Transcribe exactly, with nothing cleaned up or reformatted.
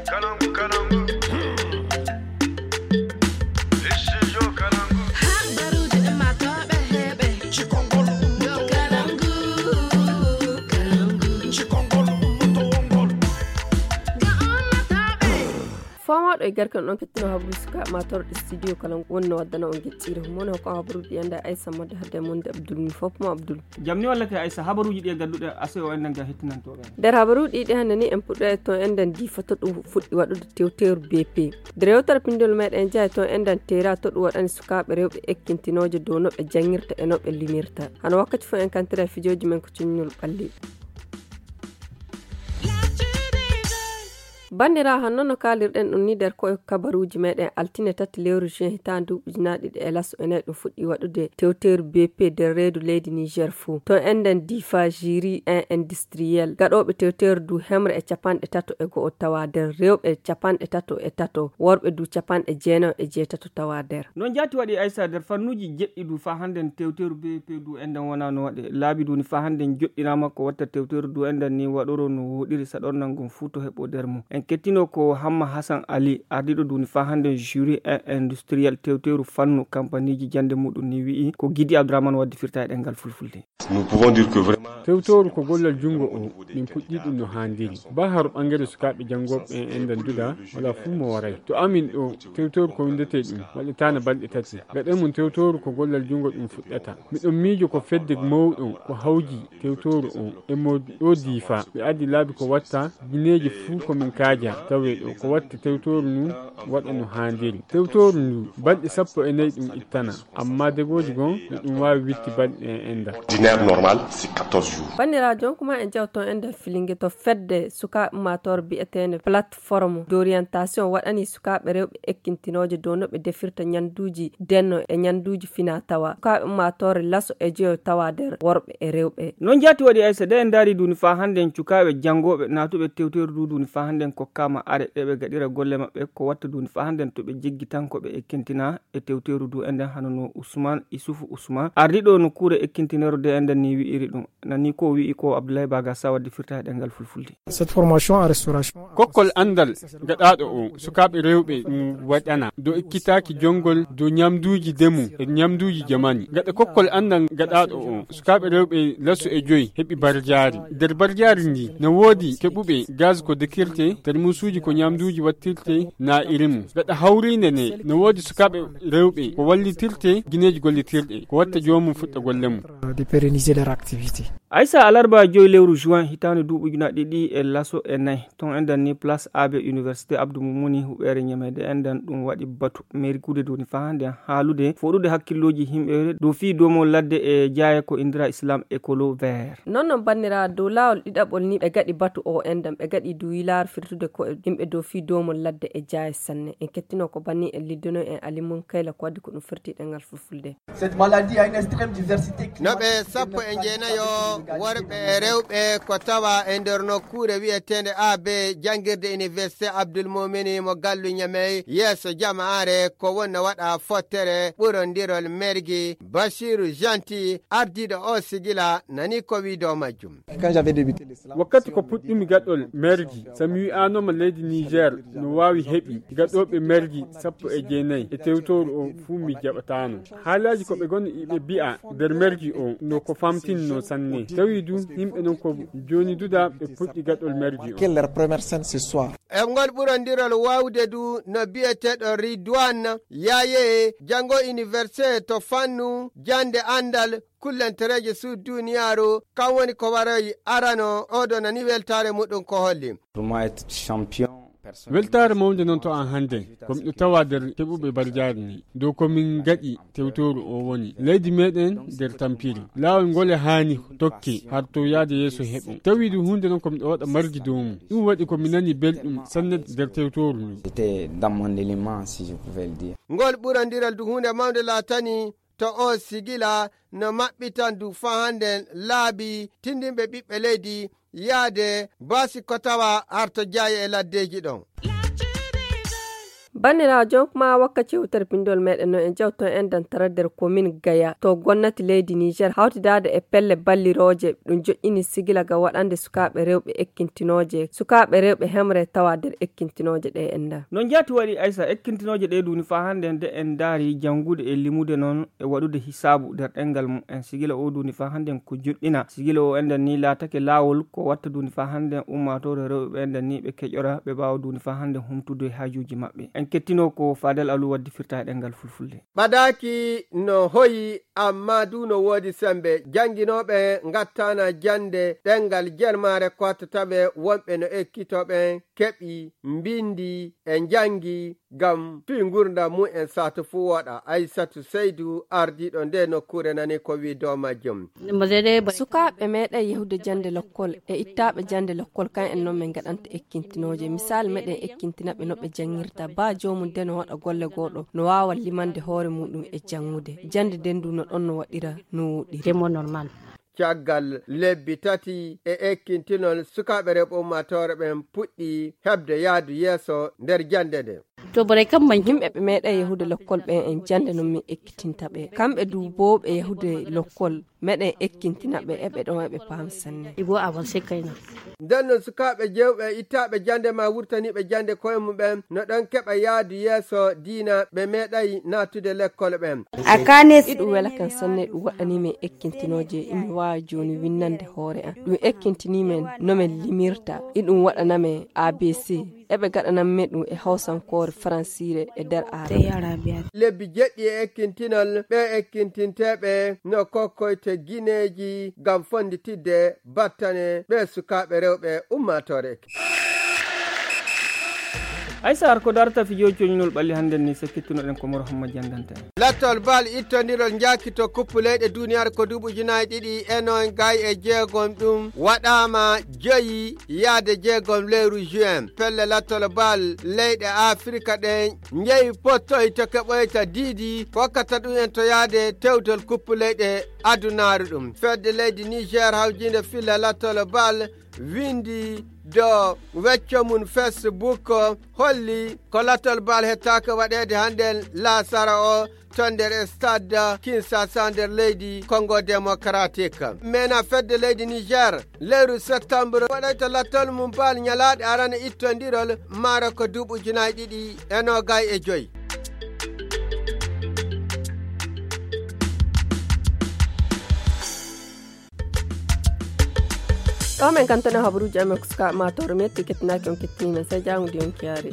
Kalangu, kalangu. Studio Kalangu. Habaruuji ɗi maa tooɓe heɓe. Cikongol ummoto wongol. Kalangu, kalangu. Cikongol ummoto wongol. Ga ummatooɓe. Fomooɗo e garke on kettinoo habaruuji suka matorɗe studio Kalangu woni no waddana on geccire. Moni hokko habaruuji ɗi enda Aissa Modde hadde e monde Abdoul mi fof mo Abdoul. Jam ni wallake Aissa, habaruuji ɗi e gadduɗe ase o enden ga hettinantooɓe. Nder habaruuji ɗi hannde ni en puɗɗo e to enden Difa to ɗum fuɗɗi waɗude tewteeru B P. Nder yewtere pinndol meɗen jeya to enden Tera to ɗum waɗani sukaaɓe rewɓe ekkintinooje dow no ɓe janngirta e no ɓe limirta. Hano wakkati fof en kantira e fijooji men ko cuññol ɓalli. Banndiraaɓe, hanno no kaalirɗen ɗum ni nder ko e kabaruuji meɗen altine tati lewru juin hitaande ujunaaɗe ɗiɗi e laso ene ɗum fuɗɗi waɗude tewteeru B P nder reedu leydi Niger fuu. To enden Difa Jiri en industriel, gaɗooɓe tewteeru du hemre e capanɗe tato e go'o tawa nder, rewɓe capanɗe tato e tato, worɓe du capanɗe jeenayo e jeetato tawa nder. Noon jaati waɗi Aissa nder fannuuji jeɗɗi du faa hannden tewteeru B P du enden wonaa no waɗe. Laabi du ni faa hannden joɗɗinaama ko watta tewteeru du enden ni waɗoro no wooɗiri saɗornal ngon fuu to heɓo nder mum. En kettino ko Hamma Hassan Ali, ardiiɗo du ni faa hannden juri en industriel tewteeru fannu kampaniiji jannde muɗum ni wi'i ko Gidi Abdourahmane waddi firta e ɗemngal fulfulde. Nous pouvons dire que vraiment tewtooru ko gollal junngo o, min puɗɗii ɗum no haandiri. Ba haro ɓangere sukaaɓe janngooɓe en enden duda, wala fuu mo waray. To amin ɗo, tewtooru ko winndetee ɗum, waɗataana balɗe tati. Gaɗen mum tewtooru ko gollal junngo ɗum fuɗɗata. Miɗon miijo ko fedde mawɗo ko hawji tewtooru o e mo ɗo Difa. Ɓe addi laabi ko watta, gineeji fuu ko min kaaja tawee ɗo. Ko watta tewtooru ndu waɗa no haandiri. Tewtooru ndu, balɗe sappo e nayi ɗum ittana. Amma degooji gon no ɗum waawi witti balɗe e enda. Ordinaire normal, c'est quatorze jours. Banndiraajo on kuma en jawto en nder filinge to fedde sukaaɓe ummaatoore bi'eteende plateforme d'orientation waɗani sukaaɓe rewɓe ekkintinooje dow no ɓe defirta ñannduuji denno e ñannduuji fina tawa. Sukaaɓe ummaatoore laso e joyo tawa nder worɓe e rewɓe. Noon jaati waɗi Aissa de en ndaari duuni faa hannden cukaaɓe janngooɓe naatuɓe tewteeru du duuni faa hannden kokkaama are ɗe ɓe gaɗira golle maɓɓe ko watta duuni faa hannden to ɓe jeggi tan ko ɓe ekkintina e tewteeru du enden hano no Ousmane Issoufou Ousmane ardiiɗo nokkuure ekkintineero de enden ni wi'iri ɗum. Nani ko wi'i ko Abdoulaye Baga Sawa defirta e ɗemngal fulfulde. Cette formation en restauration. Kokkol anndal gaɗaaɗo o sukaaɓe rewɓe ɗum waɗana dow ekkitaaki jonngol dow ñamduuji demu e ñamduuji jamani. Gaɗa kokkol anndal gaɗaaɗo o sukaaɓe rewɓe laso e joyi heɓi barjaari. Nder barjaari ndi no woodi keɓuɓe gaz ko dekirte, termusuuji ko ñamduuji wattirte na iri mum. Gaɗa hawriinde ne no woodi sukaaɓe rewɓe ko wallitirte gineeji gollitirɗe ko watta joomum fuɗɗa golle mum. De pérenniser leur activité. Aissa alarba joyi lewru juin hitaande duuɓi ujunaaɗe ɗiɗi e laso e nayi ton enden ni place A B université Abdou Moumouni huɓeere ñameede enden ɗum waɗi batu mairie kuude doni faa nden haalude foɗude hakkillooji yimɓe dow fii doomol ladde e jaaye ko indira Islam Ecolo Vert. Noon noon banndiraaɓe dow laawol ɗiɗaɓol ni ɓe gaɗi batu o enden ɓe gaɗi du yilaaru firtude ko e yimɓe dow fii doomol ladde e jaaye sanne en kettino ko banni en liddono en Ali Munkayla ko waddi ko ɗum firti ɗemngal fulfulde. Cette maladie a une extrême diversité. No ɓe sappo e jeenayo worɓe e rewɓe ko tawa e nder nokkuure wiyeteende A B janngirde université Abdoul Moumini mo gallu Ñamey yeeso jamaare ko wonno waɗa fottere ɓurondirol mergi Basiru Janti ardiiɗo o sigila nani ko wii dow majjum. Wakkati ko puɗɗumi gaɗol mergi, so mi wi'aanoma leydi Niger no waawi heɓi gaɗooɓe mergi sappo e jeenayi e tewtooru o fuu mi jaɓataano. Haalaaji ko ɓe goni iɓe bi'a nder mergi o no ko famtinno sanne. Tawi du yimɓe non ko jooni duda ɓe puɗɗi gaɗol mergi o. Quelle leur première scène ce soir? E ngol ɓurondirol waawde du no bi'eteeɗo Ridwan Yaye janngo université to fannu jannde anndal kullantereeje suudu duniyaaru kam woni ko waroyi arano oɗo nani weltaare muɗum ko holli. Weltaare mawnde noon to an hannde ko miɗo tawa nder keɓuɓe barjaari ni dow ko min ngaɗi tewtooru o woni leydi meɗen nder tampiri laawol ngol e haani tokke har to yaade yeeso heɓo tawi ɗum huunde noon ko miɗo waɗa margi dow mum ɗum waɗi ko mi nani belɗum sanne nder tewtooru ndu. C'était dans mon élément, si je pouvais le dire. Ngol ɓurondiral du huunde mawnde laatani to o sigila no maɓɓitan du faa hannden laabi tindinɓe ɓiɓɓe leydi yaade baasi ko tawa arto jaaye e laddeeji ɗon. Banniraajo, jonkuma wakka cewtere pinndol meɗen no en jawto en dantara nder komin Gaya to gonnati leydi Niger hawtidaade e pelle ballirooje ɗum joƴƴini sigila ga waɗande sukaaɓe rewɓe ekkintinooje, sukaaɓe rewɓe hemre tawa nder ekkintinooje ɗe en nda. No njaati waɗi Aysa ekkintinooje ɗe duuni faa hannde nde en ndaari janngude e limude noon e waɗude hisaabu nder ɗemngal mum en sigila o duuni faa hannde ko joƴƴina. Sigila o enden ni laatake laawol ko watta duuni faa hannde ummaatoore rewɓe ɓe enden ni ɓe keƴora ɓe mbaawa duuni faa hannde humtude haajuuji maɓɓe. En kettinoo ko Fadel Alu waddi firta e ɗemngal fulfulde. Ɓadaaki no hoyi, amma du no woodi sembe. Jannginooɓe ngattaana jannde ɗemngal jermaare ko wattata ɓe, wonɓe no ekkitoo ɓen keɓi, mbinndi e njanngi ngam fii ngurndan mum en saatu fuu woɗa. Aysatu Seydu, ardiiɗo nde nokkuure, nani ko wii dow majjum. Sukaaɓe meeɗay yahude jannde lokkol e ittaaɓe jannde lokkol, kan en noon min ngaɗanta ekkintinooje. Misaal, meɗen ekkintina ɓe no ɓe janngirta. Baa joomum de no waɗa golle gooɗo, no waawa limande hoore muuɗum e janngude. Jannde nden du no ɗon no waɗira no woɗɗiri. Caggal lebbi tati e ekkintinol, sukaaɓe rewɓe ummaatoore ɓen puɗɗi heɓde yaadu yeeso nder jannde nde. To boray kam man. Yimɓe ɓe meeɗay yahude lokkol ɓen en jannde non min ekkitinta ɓe. Kamɓe du boo ɓe yahude lokkol, meɗen ekkintina ɓe, eɓe ɗon eɓe paam sanne. Igo avancé kayna. Nden non sukaaɓe jewɓe ittaaɓe jannde ma wurtaniiɓe jannde koye mum ɓen no ɗon keɓa yaadu yeeso diina ɓe meeɗay naatude lekkol ɓen. A kanes. Iɗum wela kan sanne, ɗum waɗanii min ekkintinooje, imi waawi jooni winnande hoore an. Ɗum ekkintinii min no min limirta, iɗum waɗana min A B C. Eɓe gaɗanammi ɗum e hawsankoore, faransiire e nder aarabe. Lebbi jeɗɗi e ekkintinol, ɓe ekkintinteeɓe no kokkoyte gineeji ngam fonnditidde battane ɓe sukaaɓe rewɓe ummaatoore. Aysa, har ko darata fijooji coñnol ɓalli hannden ni, so kettunoɗen Komoro Hamma janndanta en. Lattol bal ittondirol njaaki to kuppu leyɗe duniyaaru ko duuɓi ujunaaji ɗiɗi e noon gay e jeegom ɗum waɗaama joyi yaade jeegom lewru juin. Pelle lattol bal leyɗe Afirka ɗen njeyi pottoy to keɓoyta diidi, kokkata ɗum en to yaade tewtol kuppu leyɗe adunaaru ɗum. Fedde leydi Niger hawjiinde filla lattol bal windi dow wecco mum Facebook holli ko lattol bal hettaaka waɗeede hannden laasara o to nder stade Kinshasa nder leydi Congo Démocratique. Mena fedde leydi Niger, lewru septembre waɗayta lattol mum bal ñalaaɗe arana ittondirol maaro ko duuɓi ujunaaji ɗiɗi e noogay e joy. Ɗo men kantono habaruuji amen ko suka maatoro metti kettinaaki on kettini men sai jaangude on kiyaare.